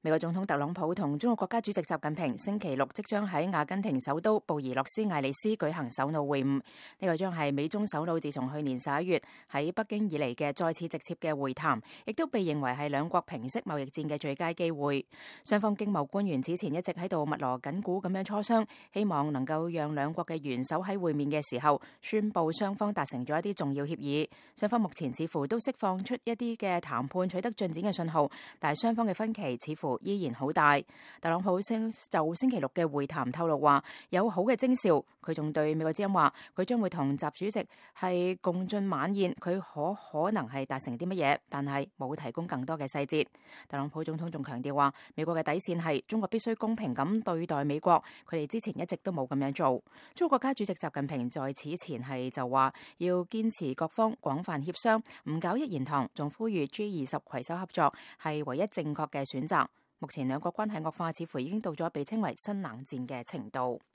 美國總統特朗普同中國國家主席習近平星期六即將喺阿根廷首都布宜諾斯艾利斯舉行首腦會晤，呢個將係美中首腦自從去年11月喺北京以嚟嘅再次直接嘅會談，亦都被認為係兩國平息貿易戰嘅最佳機會。雙方經貿官員此前一直喺度密鑼緊鼓咁樣磋商，希望能夠讓兩國嘅元首喺會面嘅時候宣布雙方達成咗一啲重要協議。雙方目前似乎都釋放出一啲嘅談判取得進展嘅信號，但係雙方嘅分歧似乎依然好大。特朗普就星期六嘅會談透露話有好嘅徵兆，佢仲對美國之音話佢將會同習主席係共進晚宴，佢可能係達成啲乜嘢，但係冇提供更多嘅細節。特朗普總統仲強調話美國嘅底線係中國必須公平咁對待美國，佢哋之前一直都冇咁樣做。中國國家主席習近平在此前係就話要堅持各方廣泛協商，唔搞一言堂，仲呼籲 G20 攜手合作係唯一正確嘅選擇。目前兩國關係惡化，似乎已經到咗被稱為新冷戰嘅程度。